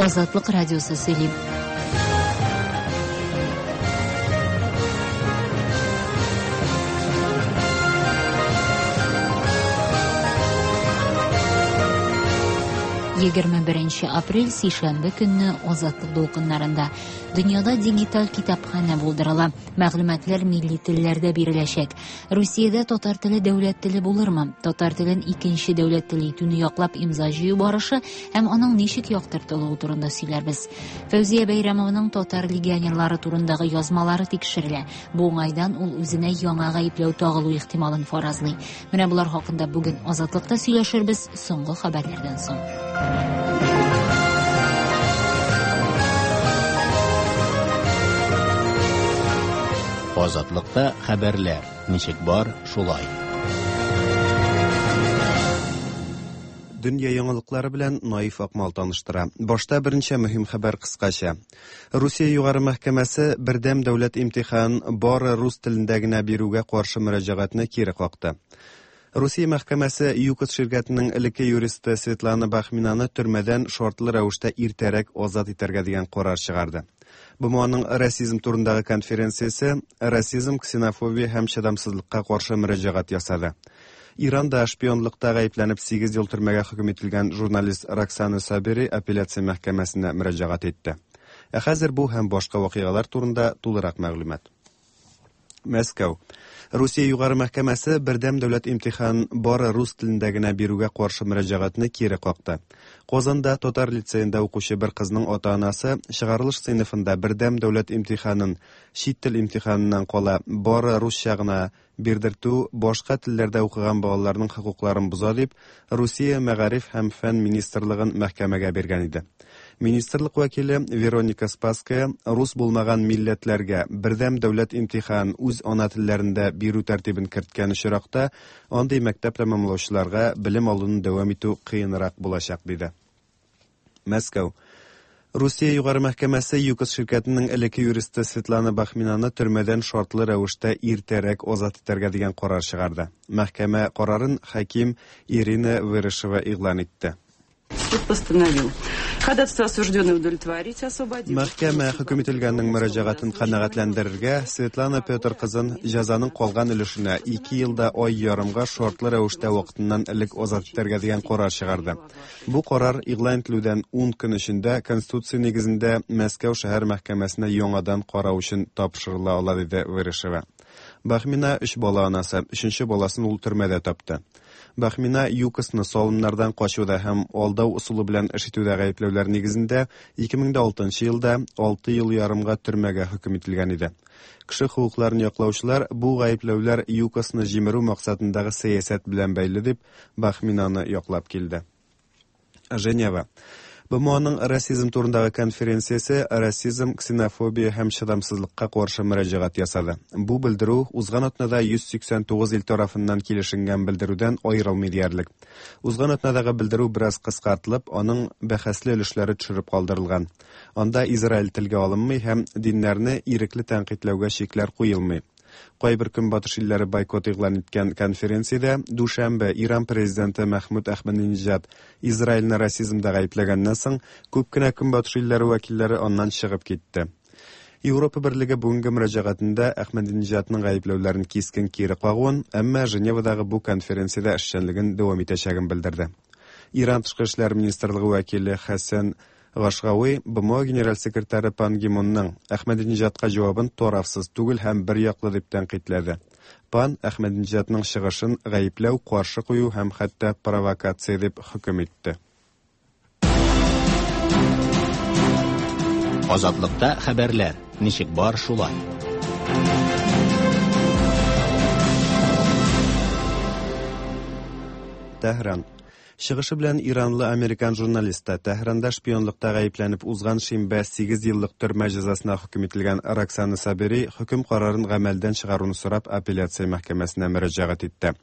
Азатлык радиосы сөйли. 21 апрель сишәмбе көнне Азатлык дулкыннарында дөньяда дигиталь китапханә булдырыла. Мәгълүматлар милли телләрдә биреләчәк. Русиядә татар теле дәүләт теле булырмы? Татар телен икенче дәүләт теле итүне яклап имза җыю барышы һәм аның ничек яктыртылуы турында сөйләрбез. Фәүзия Бәйрәмованың татар легионерлары турындагы язмалары тикшерелә. Бу уңайдан ул үзенә яңа гаепләү тагылу ихтималын фаразлый. Менә болар хакында бүген Азатлыкта сөйләшербез соңгы хәбәрләрдән соң. Азатлыкта хәбәрләр ничек бар, шулай. Дөнья яңалыклары белән Наиф Акмал таныштыра. Башта берничә мөһим хәбәр кыскача. Русия Югары мәхкәмәсе бердәм дәүләт имтихан бары рус телендә генә бирүгә каршы мөрәҗәгатьне кире какты. Русия мәхкәмәсе ЮКОС ширкәтенең элекке юристы Светлана Бахминаны төрмәдән шартлы рәвештә иртәрәк азат итәргә дигән карар чыгарды. БМОның расизм турындагы конференциясе расизм, ксенофобия һәм чыдамсызлыкка каршы мөрәҗәгать ясады. Иранда шпионлыкта гаепләнеп 8 ел төрмәгә хөкем ителгән журналист Роксана Сабери апелляция мәхкәмәсенә мөрәҗәгать итте. Ә хәзер бу һәм башка вакыйгалар турында тулырак мәгълүмат. Мәскәү. Русия Югары мәхкәмәсе бердәм дәүләт имтихан бары рус телендә генә бирүгә каршы мөрәҗәгатьне кире какты. Казанда татар лицеенда укучы бер кызның ата-анасы чыгарылыш сыйныфында бердәм дәүләт имтиханын чит тел имтиханыннан кала бары русча гына бирдертү башка телләрдә укыган балаларның хокукларын боза дип Русия мәгариф һәм фән министрлыгын мәхкәмәгә биргән иде. Министрлык вәкиле Вероника Спасская рус булмаган милләтләргә бердәм дәүләт имтихан үз ана телләрендә бирү тәртибен керткән очракта андый мәктәп тәмамлаучыларга белем алуны дәвам итү кыенрак булачак диде. Мәскәү. Русия Югары мәхкәмәсе ЮКОС ширкәтенең элекке юристы Светлана Бахминаны төрмәдән шартлы рәвештә иртәрәк азат итәргә дигән карар чыгарды. Мәхкәмә карарын хаким Ирина Вырышева игълан итте. Суд постановил ходатайство осужденной удовлетворить, освободить. Мәхкәмә хөкем ителгәннең мөрәҗәгатен канәгатьләндерергә, Светлана Петр кызын җәзаның калган өлешенә 2 елда ай ярымга шартлы рәвештә вакытыннан элек азат итәргә дигән карар чыгарды. Бу карар игълан ителүдән 10 көн эчендә Конституция нигезендә Мәскәү шәһәр мәхкәмәсенә яңадан карау өчен тапшырыла ала, диде Вырышева. Бахмина өч бала анасы, өченче баласын ул төрмәдә тапты. Бахмина ЮКОСны салымнардан качуда һәм алдау ысулы белән эш итүдә гаепләүләр нигезендә 2006 елда 6 ел ярымга төрмәгә хөкем ителгән иде. Кеше хокукларын яклаучылар бу гаепләүләр ЮКОСны җимерү максатындагы сәясәт белән бәйле дип Бахминаны яклап килде. Женева. БМОның расизм турындагы конференциясе расизм, ксенофобия һәм чыдамсызлыкка каршы мөрәҗәгать ясады. Бу белдерү узган атнада 189 ил тарафыннан килешенгән белдерүдән аерылмый диярлек. Узган атнадагы белдерү бераз кыскартылып, аның бәхәсле өлешләре төшереп калдырылган. Анда Израиль телгә алынмый һәм диннәрне ирекле тәнкыйтьләүгә чикләр куелмый. Кайбер көнбатыш илләре бойкот игълан иткән конференциядә дүшәмбе Иран президенты Мәхмүд Әхмәдинеҗад Израильне расизмда гаепләгәннән соң, күп кенә көнбатыш илләре вәкилләре аннан чыгып китте. Европа берлеге бүгенге мөрәҗәгатендә Әхмәдинеҗадның гаепләүләрен кискен кире кагуын, әмма Женевадагы бу конференциядә эшчәнлеген дәвам итәчәген белдерде. Иран тышкы эшләр министрлыгы вәкиле Хәсән Гашгауи БМО генераль секретаре Пан Ги Мунның Әхмәдинеҗадка җавабын тарафсыз түгел һәм бер яклы дип тәнкыйтьләде. Пан Әхмәдинеҗадның чыгышын гаепләү, каршы кую һәм хәтта провокация дип хөкем итте. Азатлыкта хәбәрләр ничек бар шулай. Тәһран. Чыгышы белән иранлы американ журналисты Тәһранда шпионлыкта гаепләнеп узган шимбә 8 еллык төрмә җәзасына хөкем ителгән Роксана Сабери хөкем карарын гамәлдән чыгаруны сорап апелляция мәхкәмәсенә мөрәҗәгать итте.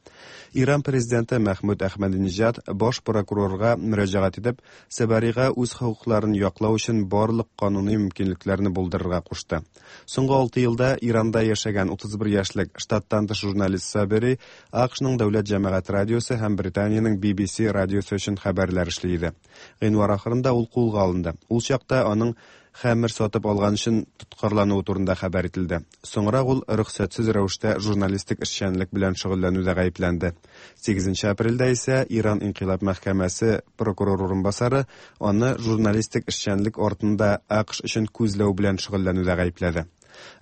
Иран президенты Мәхмүд Әхмәдинеҗад баш прокурорга мөрәҗәгать итеп, Саберига үз хокукларын яклау өчен барлык кануни мөмкинлекләрне булдырырга кушты. Соңгы 6 елда Иранда яшәгән 31 яшьлек штаттан тыш журналист Сабери АКШның дәүләт җәмәгать радиосы һәм Британиянең BBC радиосы радиосы өчен хәбәрләр эшли иде. Гыйнвар ахырында ул кулга алынды. Ул чакта аның хәмер сатып алган өчен тоткарлануы турында хәбәр ителде. Соңрак ул рөхсәтсез рәвештә журналистик эшчәнлек белән шөгыльләнүдә гаепләнде. 8 апрельдә исә Иран инкыйлаб мәхкәмәсе прокурор урынбасары аны журналистик эшчәнлек артында АКШ өчен күзләү белән шөгыльләнүдә гаепләде.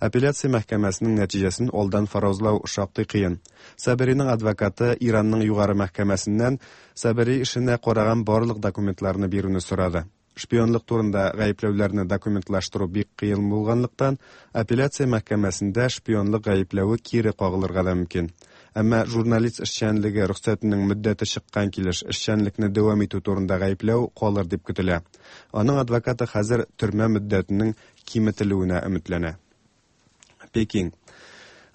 Апелляция мәхкәмәсенең нәтиҗәсен алдан фаразлау шактый кыен. Сабериның адвокаты Иранның югары мәхкәмәсеннән Сабери эшенә караган барлык документларны бирүне сорады. Шпионлык турында гаепләүләрне документлаштыру бик кыен булганлыктан, апелляция мәхкәмәсендә шпионлык гаепләве кире кагылырга да мөмкин. Әмма журналист эшчәнлеге рөхсәтенең мөддәте чыккан килеш эшчәнлекне дәвам итү турында гаепләү калыр дип көтелә. Аның адвокаты хәзер төрмә мөддәтенең киметелүенә өметләнә. Пекин.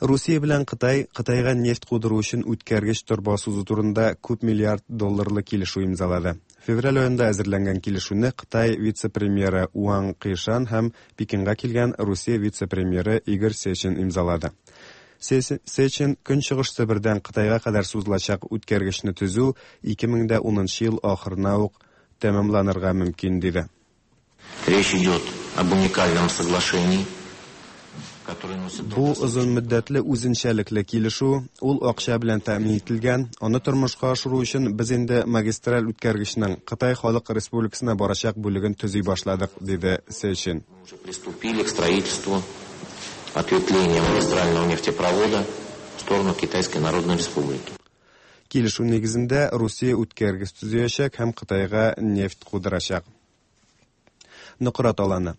Русия белән Кытай Кытайга нефть кудыру өчен үткәргеч торба сузу турында күп миллиард долларлы килешү имзалады. Февраль аенда әзерләнгән килешүне Кытай вице-премьеры Уаң Кыйшан һәм Пекинга килгән Русия вице-премьеры Игорь Сечин имзалады. Сечин Көнчыгыш Себердән Кытайга кадәр сузылачак үткәргечне төзү 2010 ел ахырына ук тәмамланырга мөмкин диде. Речь идет об уникальном соглашении. Бу озын мөддәтле үзенчәлекле килешү, ул акча белән тәэмин ителгән. Аны тормышка ашыру өчен без инде магистраль үткәргечнең Кытай Халык Республикасына барачак бүлеген төзи башладык, диде Сечин. Мы уже приступили к строительству ответвления магистрального нефтепровода в сторону Китайской Народной Республики. Килешү нигезендә Русия үткәргеч төзиячәк һәм Кытайга нефть кудырачак. Нократ аланы.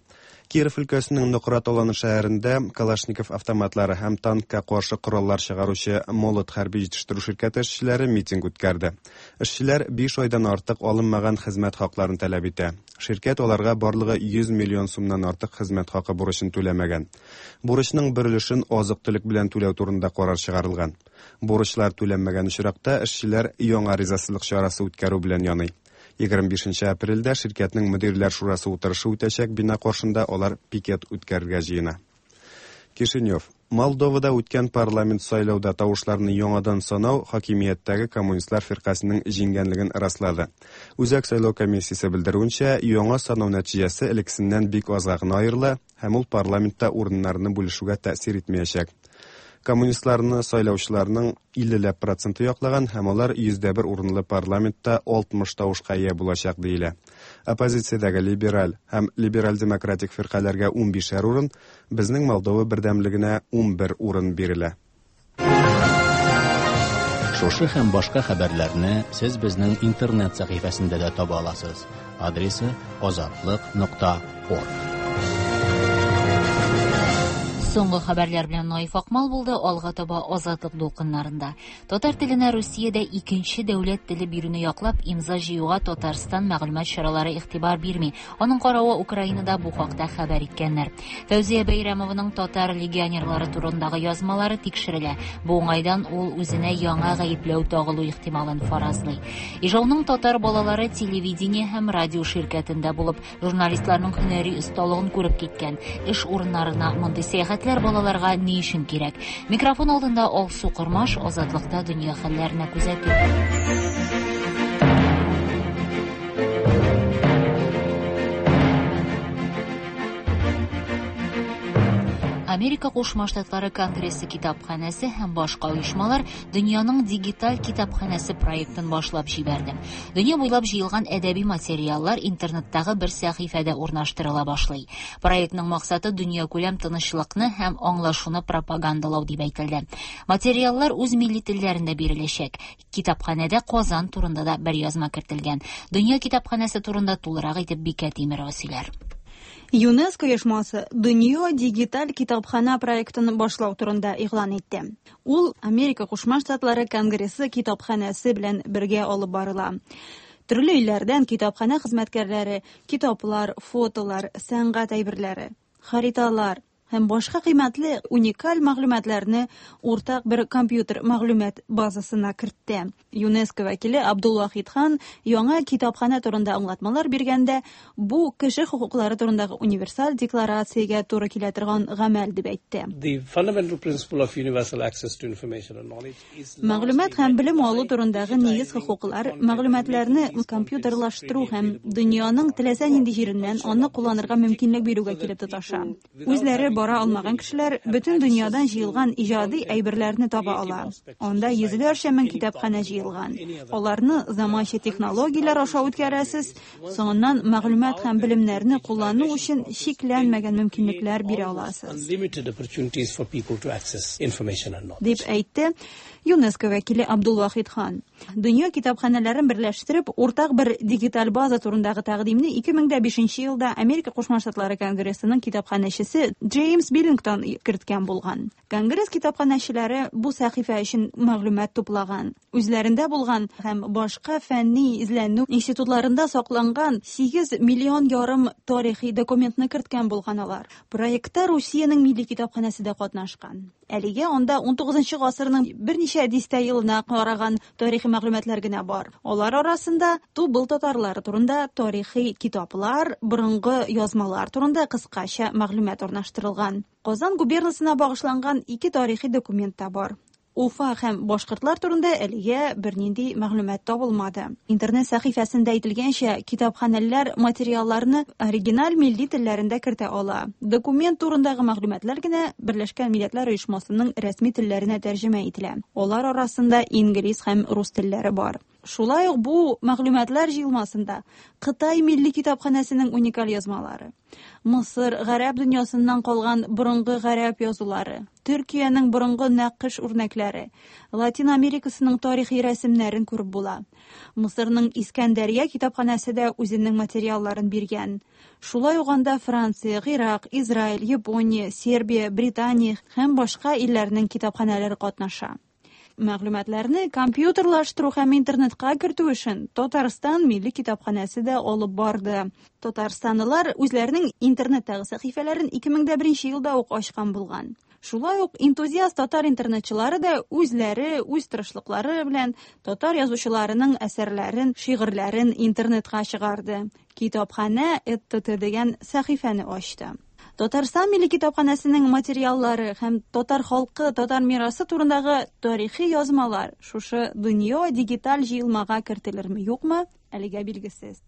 Киров өлкәсенең Нократ аланы шәһәрендә Калашников автоматлары һәм танкка каршы кораллар чыгаручы Молот хәрби җитештерү ширкәте эшчеләре митинг үткәрде. Эшчеләр 5 айдан артык алынмаган хезмәт хакларын таләп итә. Ширкәт аларга барлыгы 100 миллион сумнан артык хезмәт хакы бурычын түләмәгән. Бурычның бер өлешен азык-төлек белән түләү турында карар чыгарылган. Бурычлар түләнмәгән очракта эшчеләр яңа ризасызлык чарасы үткәрү белән яный. 25 апрельдә ширкәтнең мөдирләр шурасы утырышы үтәчәк бина каршында алар пикет үткәрергә җыена. Кишинев. Молдовада үткән парламент сайлауда тавышларны яңадан санау хакимияттәге коммунистлар фиркасының җиңгәнлеген раслады. Үзәк сайлау комиссиясе белдерүенчә, яңа санау нәтиҗәсе элеккесеннән бик азга гына аерыла һәм ул парламентта урыннарны бүлешүгә тәэсир итмәячәк. Коммунистларны сайлаучыларның 50 проценты яклаган һәм алар 101 урынлы парламентта 60 тавышка ия булачак диелә. Оппозициядәге либераль һәм либераль-демократик фиркаләргә 15 урын, безнең Молдова бердәмлегенә 11 урын бирелә. Шушы һәм башка хәбәрләрне сез безнең интернет сәхифәсендә дә таба аласыз. Адресы azatliq.org. Соңгы хәбәрләр белән Наиф Акмал булды, алга таба Азатлык дулкыннарында. Татар теленә Русиядә икенче дәүләт теле бирүне яклап имза җыюга Татарстан мәгълүмат чаралары игътибар бирми. Аның каравы Украинада бу хакта хәбәр иткәннәр. Фәүзия Бәйрәмованың татар легионерлары турындагы язмалары тикшерелә. Бу уңайдан ул үзенә яңа гаепләү тагылу ихтималын фаразлый. Ижауның татар балалары телевидение һәм радио ширкәтендә булып, журналистларның һөнәри осталыгын күреп киткән. Эш урыннарына мондый сәяхәтләр балаларга ни өчен кирәк? Микрофон алдында Алсу Кормаш, Азатлыкта дөнья хәлләренә күзәтү. Америка Кушма Штатлары Конгрессы китапханәсе һәм башка оешмалар дөньяның дигиталь китапханәсе проектын башлап җибәрде. Дөнья буйлап җыелган әдәби материаллар интернеттагы бер сәхифәдә урнаштырыла башлый. Проектның максаты дөньякүләм тынычлыкны һәм аңлашуны пропагандалау дип әйтелде. Материаллар үз милли телләрендә биреләчәк. Китапханәдә Казан турында да бер язма кертелгән. Дөнья китапханәсе турында тулырак итеп Бикә Тимирова сөйләр. ЮНЕСКО оешмасы Дөнья дигиталь китапхана проектын башлау турында игълан итте. Ул Америка Кушма Штатлары Конгрессы китапханәсе белән бергә алып барыла. Төрле илләрдән китапханә хезмәткәрләре китаплар, фотолар, сәнгать әйберләре, хариталар, Һәм башка кыйммәтле уникаль мәгълүматларны уртак бер компьютер мәгълүмат базасына кертте. ЮНЕСКО вәкиле Абдулвахид Хан яңа китапханә турында аңлатмалар биргәндә, бу кеше хокуклары турындагы универсаль декларациягә туры килә торган гамәл дип әйтте. Мәгълүмат һәм белем алу турындагы нигез хокуклар мәгълүматларны компьютерлаштыру һәм дөньяның теләсә нинди җиреннән аны кулланырга мөмкинлек бирүгә килеп тоташа. Үзләре бара алмаган кешеләр бөтен дөньядан җыелган иҗади әйберләрне таба ала. Анда йөзләрчә мең китапханә җыелган. Аларны заманча технологияләр аша үткәрәсез, соңыннан мәгълүмат һәм белемнәрне куллану өчен чикләнмәгән мөмкинлекләр бирә аласыз. Дип әйтте ЮНЕСКО вәкиле Абдулвахид Хан. Дөнья китапханәләрен берләштереп, уртак бер дигиталь база турындагы тәкъдимне 2005 елда Америка Кушма Штатлары Конгрессының китапханәчесе Джеймс Биллингтон керткән булган. Конгресс китапханәчеләре бу сәхифә өчен мәгълүмат туплаган. Үзләрендә булган һәм башка фәнни эзләнү институтларында сакланган 8 миллион ярым тарихи документны керткән булган алар. Проектта Русиянең милли китапханәсе дә катнашкан. Әлегә анда 19 гасырның берничә дистә елына караган тарихи мәгълүматлар генә бар. Алар арасында Тубыл татарлары турында тарихи китаплар, борынгы язмалар турында кыскача мәгълүмат урнаштырылган. Казан губернасына багышланган ике тарихи документ та бар. Уфа һәм башкортлар турында әлегә бернинди мәгълүмат табылмады. Интернет сәхифәсендә әйтелгәнчә, китапханәләр материалларны оригиналь милли телләрендә кертә ала. Документ турындагы мәгълүматлар генә Берләшкән Милләтләр Оешмасының рәсми телләренә тәрҗемә ителә. Алар арасында инглиз һәм рус телләре бар. Шулай ук бу мәгълүматлар җыелмасында Кытай милли китапханәсенең уникаль язмалары, Мысыр, гарәп дөньясыннан калган борынгы гарәп язулары, Төркиянең борынгы нәкыш үрнәкләре, Латин Америкасының тарихи рәсемнәрен күреп була. Мысырның Искәндәрия китапханәсе дә үзенең материалларын биргән. Шулай ук анда Франция, Гыйрак, Израиль, Япония, Сербия, Британия һәм башка илләрнең китапханәләре катнаша. Мәгълүматларны компьютерлаштыру һәм интернетка кертү эшен Татарстан Милли китапханәсе дә алып барды. Татарстанлылар үзләренең интернеттагы сәхифәләрен 2001 елда ук ачкан булган. Шулай ук энтузиаст татар интернетчылары да үзләре үз тырышлыклары белән татар язучыларының әсәрләрен, шигырьләрен интернетка чыгарды. Китапханә ЭТТ дигән сәхифәне ачты. Татарстан Милли китапханәсенең материаллары һәм татар халкы, татар мирасы турындагы тарихи язмалар шушы дөнья дигиталь җыелмага кертелерме, юкмы, әлегә билгесез.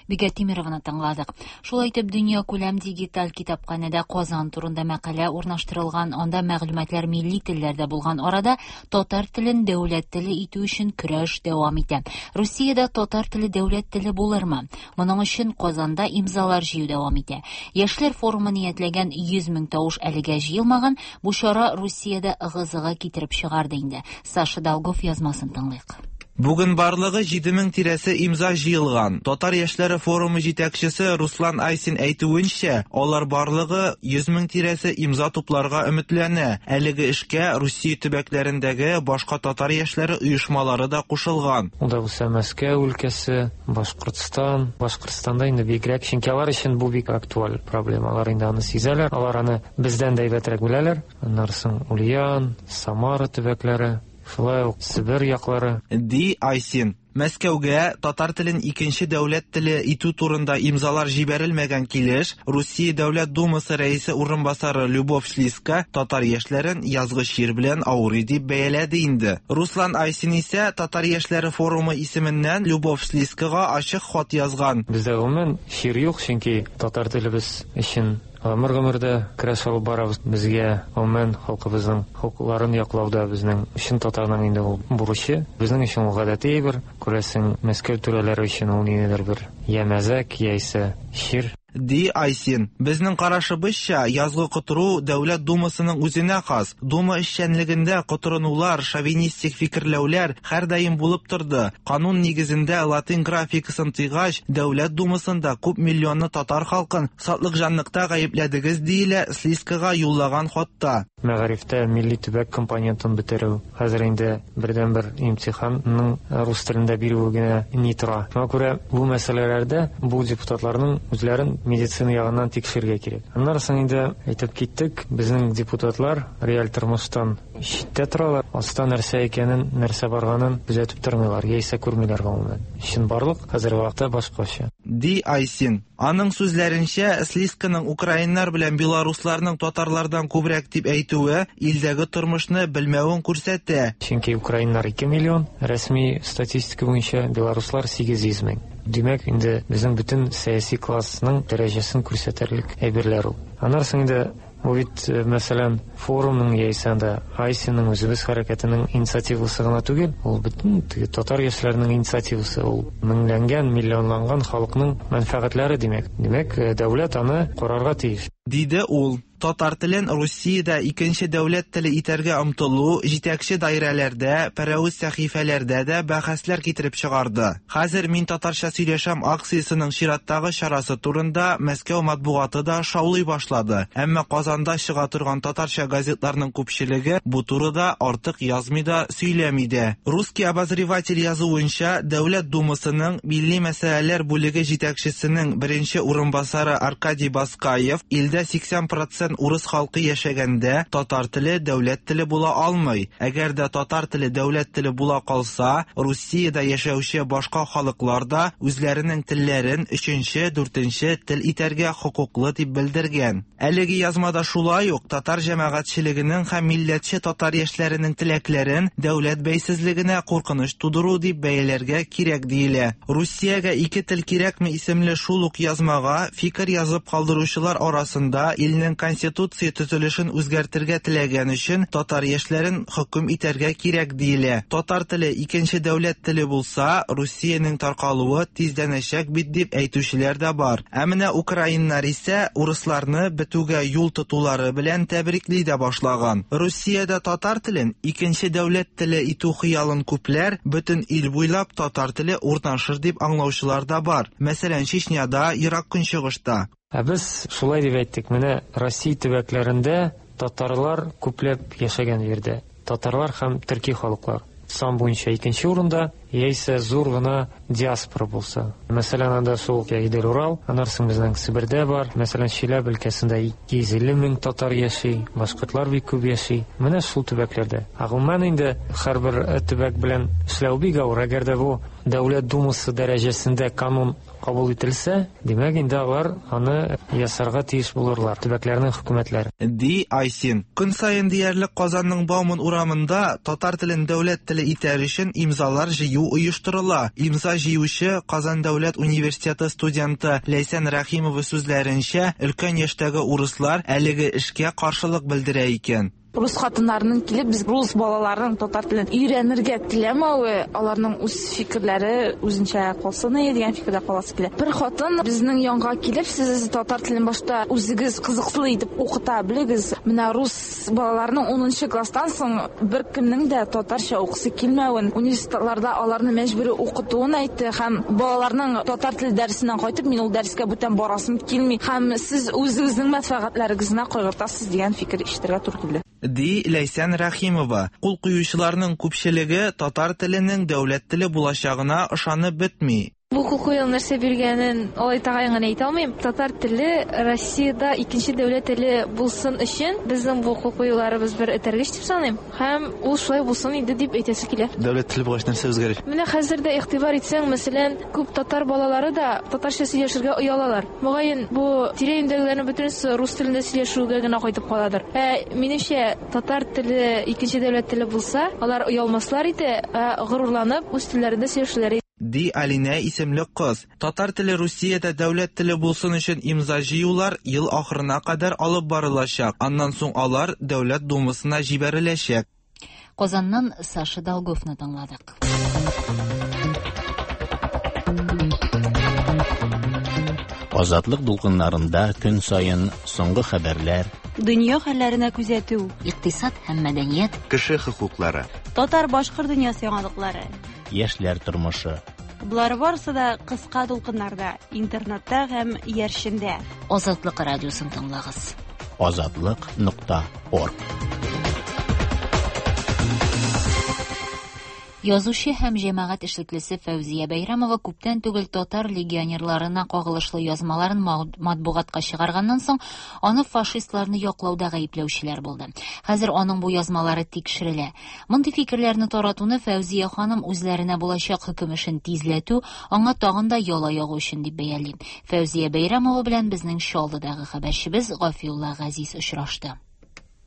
Бикә Тимерованы тыңладык. Шулай итеп, дөнья күләм дигиталь китапханәдә Казан турында мәкалә урнаштырылган, анда мәгълүматлар милли телләрдә булган арада татар телен дәүләт теле итү өчен көрәш дәвам итә. Русиядә татар теле дәүләт теле булырмы? Моның өчен Казанда имзалар җыю дәвам итә. Яшьләр форумы ниятләгән 100 мең тавыш әлегә җыелмаган, бу чара Русиядә ыгы-зыгы китереп чыгарды инде. Саша Долгов язмасын тыңлыйк. Бүген барлыгы 7000 тирәсе имза җыелган. Татар яшьләре форумы җитәкчесе Руслан Айсин әйтүенчә, алар барлыгы 100 мең тирәсе имза тупларга өметләнә. Әлеге эшкә Русия төбәкләрендәге башка татар яшьләре оешмалары да кушылган. Ул да булса Мәскәү өлкәсе, Башкортстан. Башкортстанда инде бигрәк, чөнки алар өчен бу бик актуаль проблема. Алар инде аны сизәләр, алар аны бездән дә әйбәтрәк беләләр. Аннары соң Ульян, Самара төбәкләре, шулай ук Себер яклары. Ди Айсин. Мәскәүгә татар телен икенче дәүләт теле итү турында имзалар җибәрелмәгән килеш, Русия Дәүләт Думасы рәисе урынбасары Любовь Слизко татар яшьләрен язгы чир белән авырый дип бәяләде инде. Руслан Айсин исә Татар яшьләре форумы исеменнән Любовь Слизкога ачык хат язган. Бездә гомумән чир юк, чөнки татар телебез өчен гомер-гомердә көрәш алып барабыз. Безгә гомумән халкыбызның хокукларын яклауда безнең өчен татарның инде ул бурычы. Безнең өчен ул гадәти әйбер. Күрәсең, Мәскәү түрәләре өчен ул ниндидер бер я мәзәк, яисә чир. Ди Айсин. Безнең карашыбызча, язгы котыру Дәүләт Думасының үзенә хас. Дума эшчәнлегендә котырынулар, шовинистик фикерләүләр һәрдаим булып торды. Канун нигезендә латин графикасын тыйгач, Дәүләт Думасында күп миллионлы татар халкын сатлыкҗанлыкта гаепләдегез, диелә Слизкага юллаган хатта. Мәгарифтә милли төбәк компонентын бетерү, хәзер инде бердәнбер имтиханның рус телендә бирүе генә ни тора. Шуңа күрә бу мәсьәләләрдә бу депутатларның үзләрен медицина ягыннан тикшерергә кирәк. Аннары соң инде әйтеп киттек, безнең депутатлар реаль тормыштан читтә торалар, аста нәрсә икәнен, нәрсә барганын күзәтеп тормыйлар, яисә күрмиләр гомумән. Чынбарлык хәзерге вакытта башкача. Ди Айсин. Аның сүзләренчә, Слисканың украиннар белән белорусларның татарлардан күбрәк дип әйтүе илдәге тормышны белмәвен күрсәтә. Чөнки украиннар 2 миллион, рәсми статистика буенча белоруслар 800 мең. Димәк, инде безнең бөтен сәяси классның дәрәҗәсен күрсәтерлек әйберләр ул. Аннары соң инде бу бит, мәсәлән, форумның яисә анда Айсинның үзебез хәрәкәтенең инициативасы гына түгел, ул бөтен теге татар яшьләренең инициативасы, ул меңләнгән, миллионланган халыкның мәнфәгатьләре димәк. Димәк, дәүләт аны карарга тиеш. Диде ул. Татар телен Русиядә икенче дәүләт теле итәргә омтылу җитәкче даирәләрдә, пәрәвез сәхифәләрдә дә бәхәсләр китереп чыгарды. Хәзер мин татарча сөйләшәм акциясенең чираттагы чарасы турында Мәскәү матбугаты да шаулый башлады. Әмма Казанда чыга торган татарча газетларның күпчелеге бу турыда артык язмый да, сөйләми дә. Русский обозреватель язуынча, Дәүләт Думасының милли мәсьәләләр бүлеге җитәкчесенең беренче урынбасары Аркадий Баскаев илдә 80% урыс халкы яшәгәндә татар теле дәүләт теле була алмый. Әгәр дә татар теле дәүләт теле була калса, Русиядә яшәүче башка халыклар да үзләренең телләрен өченче, дүртенче тел итәргә хокуклы дип белдергән. Әлеге язмада шулай ук татар җәмәгатьчелегенең һәм милләтче татар яшьләренең теләкләрен дәүләт бәйсезлегенә куркыныч тудыру дип бәяләргә кирәк диелә. Русиягә ике тел кирәкме исемле шул ук язмага фикер язып калдыручылар арасында илнең конституция төзелешен үзгәртергә теләгән өчен татар яшьләрен хөкем итәргә кирәк диелә. Татар теле икенче дәүләт теле булса, Русиянең таркалуы тизләнәчәк бит дип әйтүчеләр дә бар. Ә менә украиннар исә урысларны бетүгә юл тотулары белән тәбрикли дә башлаган. Русиядә татар телен икенче дәүләт теле итү хыялын күпләр бөтен ил буйлап татар теле урнашыр дип аңлаучылар да бар. Мәсәлән, Чечняда, Ерак Көнчыгышта. Ә без шулай дип әйттек, менә Россия төбәкләрендә татарлар күпләп яшәгән җирдә. Татарлар һәм төрки халыклар сан буенча икенче урында, яисә зур гына диаспора булса. Мәсәлән, анда шул Идел Урал, аннан соң безнең Себердә бар. Мәсәлән, Чиләбе өлкәсендә 250 мең татар яши, башкортлар бик күп яши. Менә шул төбәкләрдә. Ә гомумән инде һәрбер төбәк белән эшләү бик авыр. Әгәр дә бу Дәүләт Думасы дәрәҗәсендә канун кабул ителсә, димәк инде алар аны ясарга тиеш булырлар, төбәкләрнең хөкүмәтләре. Ди Айсин. Көн саен диярлек Казанның Бауман урамында татар телен дәүләт теле итәр өчен имзалар җыю оештырыла. Имза җыючы Казан дәүләт университеты студенты Ләйсән Рәхимова сүзләренчә, өлкән яшьтәге урыслар әлеге эшкә каршылык белдерә икән. Рус хатыннарының килеп, без рус балаларының татар телен өйрәнергә теләмәве, аларның үз фикерләре үзенчә калсын иде дигән фикердә каласы килә. Бер хатын безнең янга килеп, сез татар телен башта үзегез кызыклы итеп укыта белегез. Менә рус балаларының 10 класстан соң бер кемнең дә татарча укысы килмәвен, университетларда аларны мәҗбүри укытуын әйтте һәм балаларның татар теле дәресеннән кайтып, мин ул дәрескә бүтән барасым килми һәм сез үзегезнең мәнфәгатьләрегезне кайгыртасыз дигән фикер ишетергә туры килде. Ди Ләйсән Рәхимова. Кул куючыларның күпчелеге татар теленең дәүләт теле булачагына ышанып бетми. Бу кул куюның нәрсә биргәнен алай тәгаен генә әйтә алмыйм. Татар теле Россиядә икенче дәүләт теле булсын өчен безнең бу кул куюларыбыз бер этәргеч дип саныйм. Һәм ул шулай булсын иде дип әйтәсе килә. Дәүләт теле булгач нәрсә үзгәрер? Менә хәзер дә игътибар итсәң, мәсәлән, күп татар балалары да татарча сөйләшергә оялалар. Мөгаен, бу тирә-юньдәгеләрнең бөтенесе рус телендә сөйләшүгә генә кайтып каладыр. Ә минемчә, татар теле икенче дәүләт теле булса, алар оялмаслар иде, ә горурланып үз телләрендә сөйләшерләр иде. Ди Алинә исемле кыз. Татар теле Русиядә дәүләт теле булсын өчен имза җыюлар ел ахырына кадәр алып барылачак. Аннан соң алар Дәүләт Думасына җибәреләчәк. Казаннан Саша Долговны тыңладык. Азатлык дулкыннарында көн саен соңгы хәбәрләр, дөнья хәлләренә күзәтү, икътисад һәм мәдәният, кеше хокуклары, татар-башкорт дөньясы яңалыклары, яшьләр тормышы. Болар барысы да кыска дулкыннарда, интернетта һәм иярчендә. Азатлык радиосын тыңлагыз. Азатлык.орг. Язучы һәм җәмәгать эшлеклесе Фәүзия Бәйрәмова күптән түгел татар легионерларына кагылышлы язмаларын матбугатка чыгарганнан соң, аны фашистларны яклауда гаепләүчеләр булды. Хәзер аның бу язмалары тикшерелә. Мондый фикерләрне таратуны Фәүзия ханым үзләренә булачак хөкем эшен тизләтү, аңа тагын да яла ягу өчен дип бәяли. Фәүзия Бәйрәмова белән безнең Чаллыдагы хәбәрчебез Гафиулла Газиз очрашты.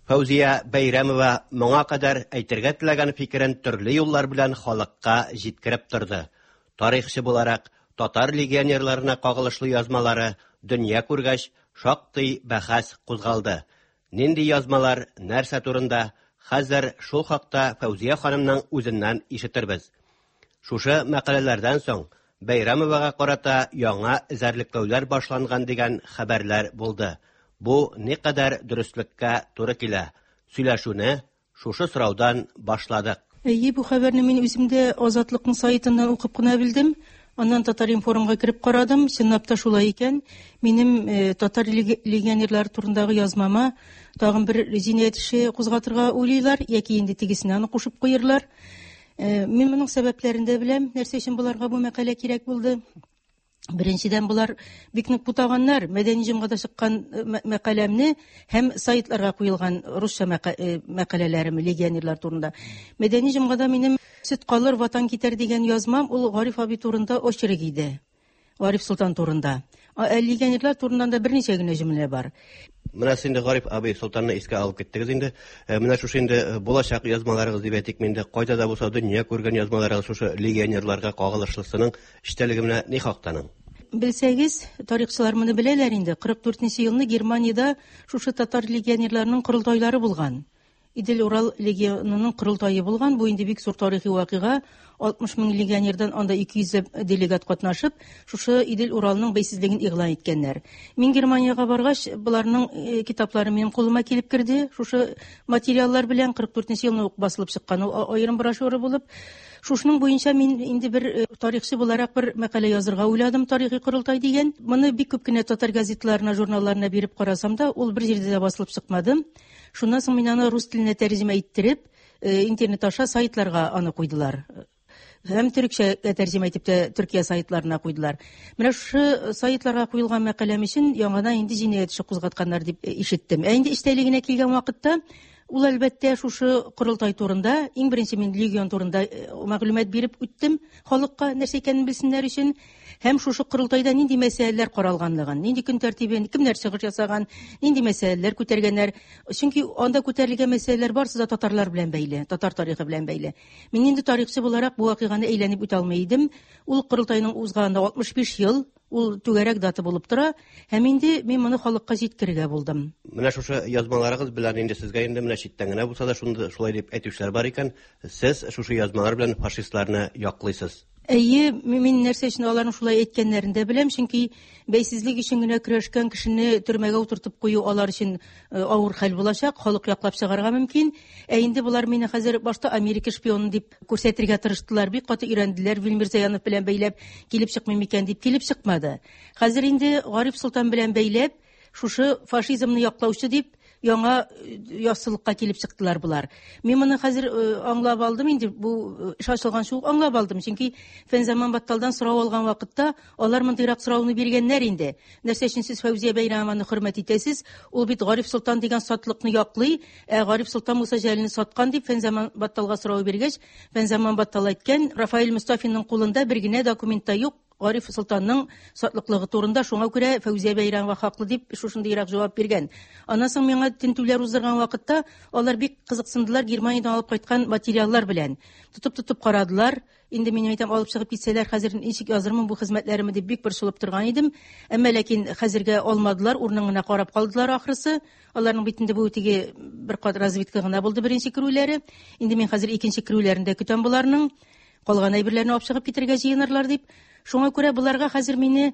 Фәүзия Бәйрәмова моңа кадәр әйтергә теләгән фикерен төрле юллар белән халыкка җиткереп торды. Тарихчы буларак, татар легионерларына кагылышлы язмалары дөнья күргәч, шактый бәхәс кузгалды. Нинди язмалар, нәрсә турында, хәзер шул хакта Фәүзия ханымның үзеннән ишетербез. Шушы мәкаләләрдән соң Бәйрәмовага карата яңа эзәрлекләүләр башланган дигән хәбәрләр булды. Бу никадәр дөреслеккә туры килә? Сөйләшүне шушы сораудан башладык. Әйе, бу хәбәрне мин үзем дә Азатлыкның сайтыннан укып кына белдем. Аннан Татар-информга кереп карадым. Чынлап та шулай икән. Минем э, татар легионерлары турындагы язмама тагын бер җинаять эше кузгатырга уйлыйлар яки инде тегесенә аны кушып куерлар. Э, мин моның сәбәпләрен дә беләм, нәрсә өчен боларга бу мәкалә кирәк булды. Беренчедән, болар бик нык бутаганнар. Мәдәни җомгада чыккан э, мәкаләмне һәм сайтларга куелган русча э, мәкаләләрем легионерлар турында. Мәдәни җомгада минем Сөт калыр, ватан китәр дигән язмам ул Гариф абый турында очерк иде. Гариф Солтан турында. Ә легионерлар турында да берничә генә җөмлә бар. Менә сез инде Гариф абый Солтанны искә алып киттегез инде. Э, менә шушы инде э, булачак язмаларыгыз дип әйтик инде, кайда да булса дөнья күргән язмаларыгыз шушы легионерларга кагылышлысының эчтәлеге менә ни хактаның? Белсәгез, тарихчылар моны беләләр инде. 44 нче елны Германиядә шушы татар легионерларының корылтайлары булган. Идел-Урал легионының корылтае булган. Бу инде бик зур тарихи вакыйга. 60 мең легионердан анда 200 ләп делегат катнашып, шушы Идел-Уралның бәйсезлеген игълан иткәннәр. Мин Германиягә баргач, боларның э, китаплары минем кулыма килеп керде. Шушы материаллар белән 44 нче елны ук басылып чыккан ул аерым брошюра булып. Шушының буенча мин инде бер э, тарихчы буларак бер мәкалә язырга уйладым, тарихи корылтай дигән. Моны бик күп кенә татар газетларына, журналларына биреп карасам да, ул бер җирдә дә басылып чыкмады. Шуннан соң мин аны рус теленә тәрҗемә иттереп, э, интернет аша сайтларга аны куйдылар. Һәм төрекчәгә тәрҗемә итеп тә Төркия сайтларына куйдылар. Менә шушы сайтларга куелган мәкаләм өчен яңадан инде җинаять эше кузгатканнар дип э, ишеттем. Ә инде эчтәлегенә килгән вакытта, ул әлбәттә шушы корылтай турында, иң беренче мин легион турында э, мәгълүмат биреп үттем халыкка, нәрсә икәнен белсеннәр өчен. Һәм шушы корылтайда нинди мәсьәләләр каралганлыгын, нинди көн тәртибен, кемнәр чыгыш ясаган, нинди мәсьәләләр күтәргәннәр. Чөнки анда күтәрелгән мәсьәләләр барысы да татарлар белән бәйле, татар тарихы белән бәйле. Мин инде тарихчы буларак бу вакыйганы әйләнеп үтә алмый идем. Ул корылтайның узганына 65 ел, ул түгәрәк дата булып тора. Һәм инде мин моны халыкка җиткерергә булдым. Менә шушы язмаларыгыз белән инде сезгә инде менә читтән генә булса да шундый шулай дип әйтүчеләр бар икән, сез шушы язмалар белән фашистларны яклыйсыз. Әйе, мин нәрсә өчен аларның шулай әйткәннәрен дә беләм, чөнки бәйсезлек өчен генә көрәшкән кешене төрмәгә утыртып кую алар өчен э, авыр хәл булачак, халык яклап чыгарга мөмкин. Ә инде болар мине хәзер башта Америка шпионы дип күрсәтергә тырыштылар, бик каты өйрәнделәр, Вил Мирзаянов белән бәйләп килеп чыкмый микән дип килеп чыкмады. Хәзер инде Гариф Солтан белән бәйләп, шушы фашизмны яклаучы дип яңа э, яссылыкка килеп чыктылар болар. Мин моны хәзер э, аңлап алдым инде, бу э, эш ачылганчы ук аңлап алдым. Чөнки Фәнзаман Батталдан сорау алган вакытта алар мондыйрак сорауны биргәннәр инде. Нәрсә өчен сез Фәүзия Бәйрәмованы хөрмәт итәсез? Ул бит Гариф Солтан дигән сатлыкны яклый, ә Гариф Солтан Муса Җәлилне саткан дип Фәнзаман Батталга сорау биргәч, Фәнзаман Баттал әйткән, Рафаэль Мостафинның кулында бер генә документ та юк, Гариф Солтанның сатлыклыгы турында, шуңа күрә Фәүзия Бәйрәмова хаклы дип шушындыйрак җавап биргән. Аннан соң миңа тентүләр уздырган вакытта алар бик кызыксындылар Германиядән алып кайткан материаллар белән. Тотып-тотып карадылар. Инде мин әйтәм, алып чыгып китсәләр, хәзер ничек язырмын бу хезмәтләремне дип бик борчылып торган идем. Әмма ләкин хәзергә алмадылар, урынын гына карап калдылар ахрысы. Аларның бит инде бу теге бер кат разведка гына булды беренче керүләре. Инде мин хәзер икенче керүләрен дә көтәм боларның. Калган әйберләрне алып чыгып китергә җыенырлар дип. Шуңа күрә боларга хәзер мине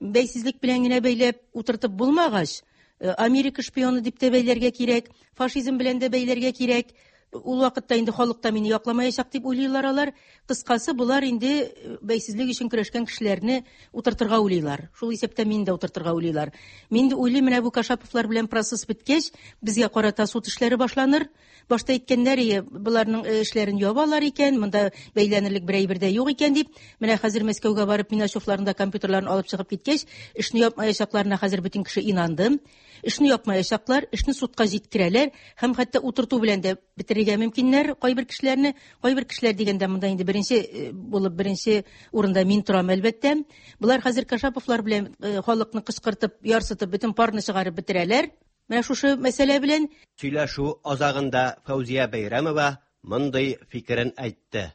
бәйсезлек белән генә бәйләп утыртып булмагач, э, Америка шпионы дип тә бәйләргә кирәк, фашизм белән дә бәйләргә кирәк. Ул вакытта инде халык та мине якламаячак дип уйлыйлар алар. Кыскасы, болар инде бәйсезлек өчен көрәшкән кешеләрне утыртырга уйлыйлар. Шул исәптән мине дә утыртырга уйлыйлар. Мин инде уйлыйм, менә бу Кашаповлар белән процесс беткәч, безгә карата суд эшләре башланыр. Башта әйткәннәр, ие, боларның эшләрен ябалар икән, монда бәйләнерлек бер әйбер дә юк икән дип. Менә хәзер Мәскәүгә барып Миначевларның да компьютерларын алып чыгып киткәч, эшне япмаячакларына хәзер бөтен кеше инанды. Эшне япмаячаклар, эшне судка җиткерәләр һәм хәтта утырту белән дә бетерергә мөмкиннәр кайбер кешеләрне. Кайбер кешеләр дигәндә монда инде беренче булып беренче урында мин торам әлбәттә. Болар хәзер Кашаповлар белән халыкны кычкыртып, ярсытып, бөтен парны чыгарып бетерәләр. Менә шушы мәсьәлә белән. Сөйләшү азагында Фәүзия Бәйрәмова мондый фикерен әйтте.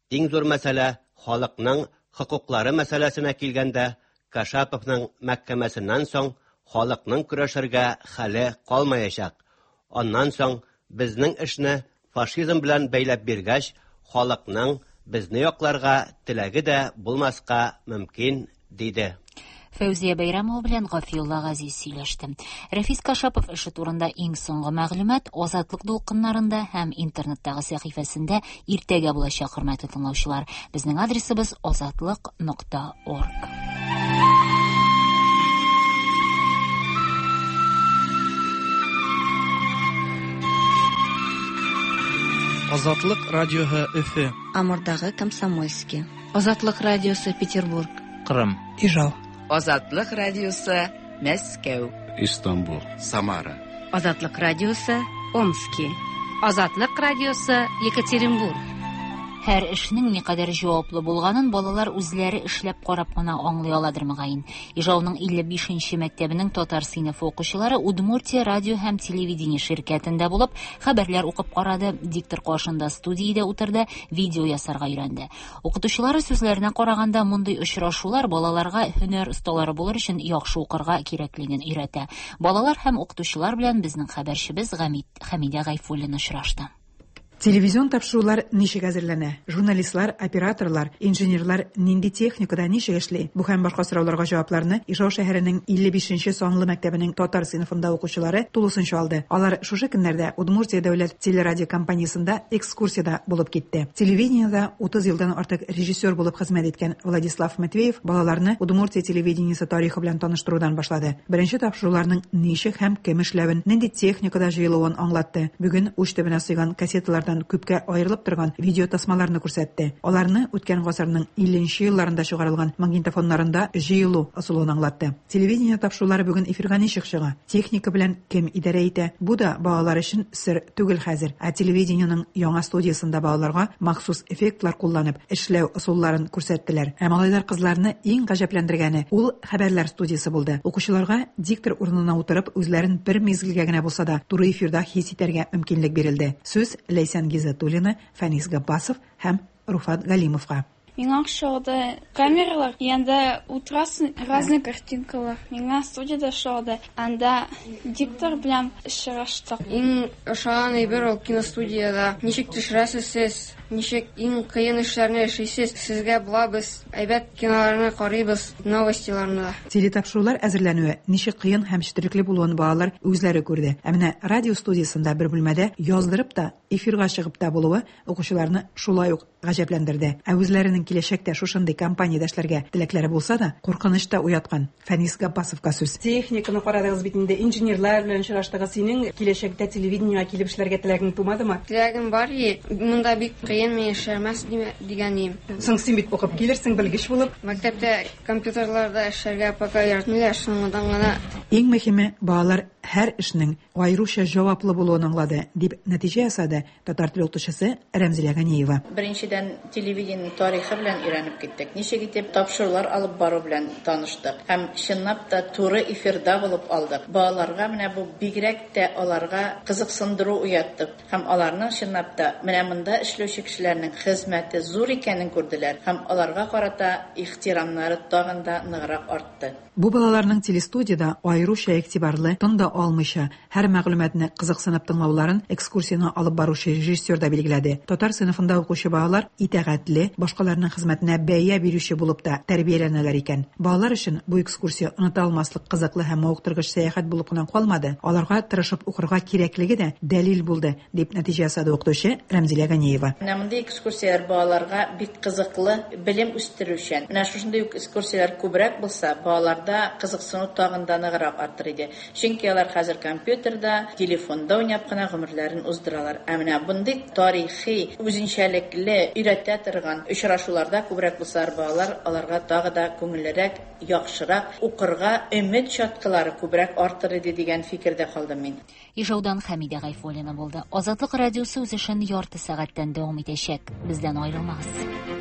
Иң зур мәсьәлә халыкның хокуклары мәсьәләсенә килгәндә, Кашаповның мәхкәмәсеннән соң халыкның көрәшергә хәле калмаячак. Аннан соң безнең эшне фашизм белән бәйләп биргәч, халыкның безне якларга теләге дә булмаска мөмкин, диде. Фәүзия Бәйрәмова белән Гафиулла Газиз сөйләште. Рәфис Кашапов эше турында иң соңгы мәгълүмат Азатлык дулкыннарында һәм интернеттагы сәхифәсендә иртәгә булачак, хөрмәтле тыңлаучылар. Безнең адресыбыз азатлык.орг. Азатлык радиоһы Өфе. Амурдагы Комсомольский. Азатлык радиосы Петербург. Кырым. Ижау. Азатлык радиосы Мәскәү. Истанбул. Самара. Азатлык радиосы Омски. Азатлык радиосы Екатеринбург. Һәр эшнең никадәр җаваплы булганын балалар үзләре эшләп карап кына аңлый аладыр мөгаен. Ижауның 55 нче мәктәбенең татар сыйныфы укучылары Удмуртия радио һәм телевидение ширкәтендә булып, хәбәрләр укып карады, диктор каршында студиядә утырды, видео ясарга өйрәнде. Укытучылары сүзләренә караганда, мондый очрашулар балаларга һөнәр осталары булыр өчен яхшы укырга кирәклеген өйрәтә. Балалар һәм укытучылар белән безнең хәбәрчебез Хәмидә Гайфуллина очрашты. Телевизион тапшырулар ничек әзерләнә? Журналистлар, операторлар, инженерлар нинди техникада ничек эшли? Бу һәм башка сорауларга җавапларны Ижау шәһәренең 55 нче санлы мәктәбенең татар сыйныфында укучылары тулысынча алды. Алар шушы көннәрдә Удмуртия дәүләт телерадиокомпаниясендә экскурсиядә булып китте. Телевидениедә 30 елдан артык режиссер булып хезмәт иткән Владислав Матвеев балаларны Удмуртия телевидениесе тарихы белән таныштырудан башлады. Беренче тапшыруларның ничек һәм кем эшләвен, нинди техникада җыелуын аңлатты. Бүген уч төбенә сыйган кассеталардан күпкә аерылып торган видеотасмаларны күрсәтте. Аларны үткән гасырның 50 нче елларында чыгарылган магнитофоннарында җыелу ысулын аңлатты. Телевидение тапшырулары бүген эфирга ничек чыга? Техника белән кем идарә итә? Бу да балалар өчен сер түгел хәзер. Ә телевидениенең яңа студиясендә балаларга махсус эффектлар кулланып эшләү ысулларын күрсәттеләр. Ә малайлар-кызларны иң гаҗәпләндергәне, ул хәбәрләр студиясе булды. Укучыларга диктор урынына утырып, үзләрен бер мизгелгә генә булса да туры эфирда хис итәргә мөмкинлек бирелде. Сүз Ләйсән Гиззәтуллина, Фәнис Габбасов һәм Руфат Галимовка. Миңа ошады камералар, и анда утырасың, разный картинкалар. Миңа студиядә ошады, анда диктор белән очраштык. Иң ошаган әйбер ул киностудиядә. Ничек төшерәсез сез, ничек иң кыен эшләрне эшлисез, сезгә була без әйбәт киноларны карыйбыз, новостиларны да. Телетапшырулар әзерләнүе ничек кыен һәм четерекле булуын балалар үзләре күрде. Ә менә радио студиясендә бер бүлмәдә яздырып та, эфирга чыгып та булуы укучыларны шулай ук гаҗәпләндерде. Ә үзләренең киләчәктә шушындый компаниядә эшләргә теләкләре булса да, куркыныч та уяткан. Фәнис Габбасовка сүз. Техниканы карадыгыз бит инде, инженерлар белән очраштыгыз. Синең киләчәктә телевидениегә килеп эшләргә теләгең тумадымы? Теләгем бар и, монда бик кыен, мин эшләмәс дигән идем. Соң син бит укып килерсең, белгеч булып. Мәктәптә компьютерларда эшләргә пока өйрәтмиләр, соңыннан гына. Иң мөһиме, балалар һәр эшнең аеруча җаваплы булуын аңлады, дип нәтиҗә ясады татар теле укытучысы Рәмзилә Ганиева. Беренчедән, телевидениенең тарихы белән өйрәнеп киттек, ничек итеп тапшырулар алып бару белән таныштык һәм чынлап та туры эфирда булып алдык. Балаларга менә бу бигрәк тә аларга кызыксындыру уятты һәм аларның чынлап та менә монда эшләүче кешеләрнең хезмәте зур икәнен күрделәр һәм аларга карата ихтирамнары тагын да ныграк артты. Бу балаларның телестудиядә аеруча игътибарлы, тын да да алмыйча, һәр мәгълүматны кызыксынып тыңлауларын экскурсияне алып баручы режиссер да билгеләде. Татар сыйныфында укучы балалар итагатьле, башкаларның хезмәтенә бәя бирүче булып та тәрбияләнәләр икән. Балалар өчен бу экскурсия оныта алмаслык кызыклы һәм мавыктыргыч сәяхәт булып кына калмады, аларга тырышып укырга кирәклеге дә дәлил булды, дип нәтиҗә ясады укытучы Рәмзилә Ганиева. Менә мондый экскурсияләр балаларга бик кызыклы, белем үстерүчән. Менә шушындый ук экскурсияләр күбрәк булса, балаларда кызыксыну тагын да ныграк артыр иде. Чөнки алар хәзер компьютерда, телефонда уйнап кына гомерләрен уздыралар. Ә менә мондый тарихи, үзенчәлекле, өйрәтә торган очрашуларда күбрәк булсалар, балалар аларга тагы да күңеллерәк, яхшырак укырга өмет чаткылары күбрәк артыр иде дигән фикердә калдым мин. Ижаудан Хәмидә Гайфуллина булды. Азатлык радиосы үз эшен ярты сәгатьтән дәвам итәчәк. Бездән аерылмагыз.